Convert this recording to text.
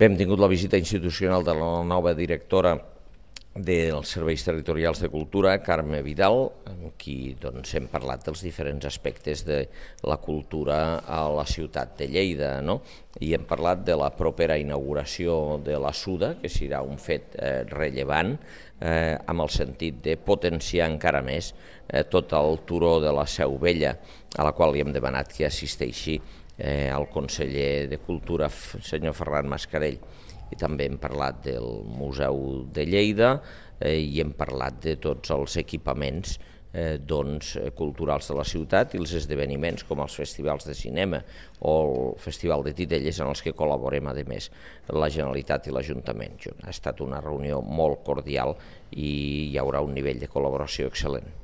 Hem tingut la visita institucional de la nova directora dels Serveis Territorials de Cultura, Carme Vidal, amb qui hem parlat dels diferents aspectes de la cultura a la ciutat de Lleida, i hem parlat de la propera inauguració de la SUDA, que serà un fet rellevant, amb el sentit de potenciar encara més tot el turó de la Seu Vella, a la qual li hem demanat que assisteixi el conseller de Cultura, senyor Ferran Mascarell. I també hem parlat del Museu de Lleida i hem parlat de tots els equipaments culturals de la ciutat i els esdeveniments com els festivals de cinema o el Festival de Titelles en els que col·laborem, a més, la Generalitat i l'Ajuntament. Ha estat una reunió molt cordial i hi haurà un nivell de col·laboració excel·lent.